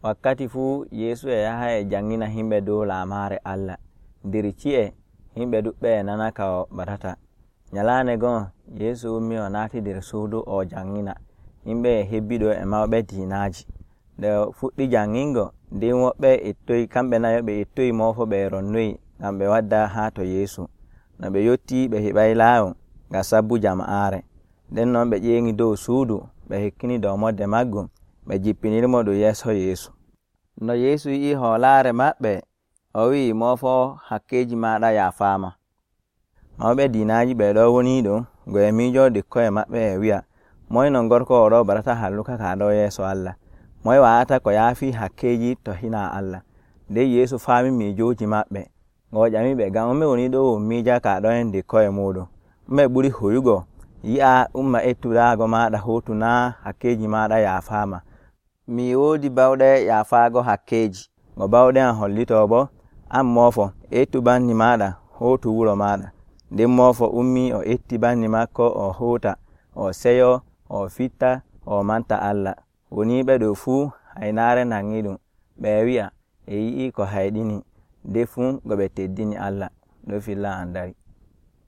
wakkati fuu Yeesu e yaha e jangina himɓe dow laamaare Allah. Nder ci'e himɓe ɗuɓɓe e nana ka o batata. Nyalaande gon Yeesu ummi o naati nder suudu o jangina. Himɓe e hebbiɗo e mawɓe diinaaji. Nde o fuɗɗi jangingo, nden woɓɓe kamɓe nayo ɓe ettoyi moofo ɓe ronnoyi ngam ɓe wadda haa to Yeesu. No ɓe yotti ɓe heɓay laayo ngam sabbu jama'aare. Nden non ɓe ƴeengi dow suudu ɓe hekkini dow modde maggum ɓe jippinirmo ɗum yeeso Yeesu. No Yeesu yi'i hoolaare maɓɓe, o wi'i moofo hakkeeji maaɗa yaafaama. Mawɓe diinaaji ɓe ɗo woni ɗon ngo e miijo ɗikkoye maɓɓe e wi'a, moye non gorko oɗo barata halluka ka ɗo yeeso Allah? Moye wa'ata ko yaafi hakkeeji to hina Allah? Nden Yeesu faami miijooji maɓɓe. Ngo ƴamiɓe, ngam ɗume woni ɗo miija ka ɗo en ɗikkoye muɗum? Ɗume ɓuri hoyugo yi'a umma ettudaago maaɗa huutu naa hakkeeji maaɗa yaafaama? Mi woodi bawɗe yaafaago hakkeeji. Ngo bawɗe am hollitoo bo, an moofo ettu banni maaɗa huutu wuro maaɗa. Nden moofo ummi o etti banni makko o huuta, o seyo, o fitta, o manta Allah. Woniiɓe ɗo fuu haynaare nangi ɗum. Ɓe wi'a e yi'i ko hayɗini, nde fuu ngo ɓe teddini Allah. Ɗo filla an dari.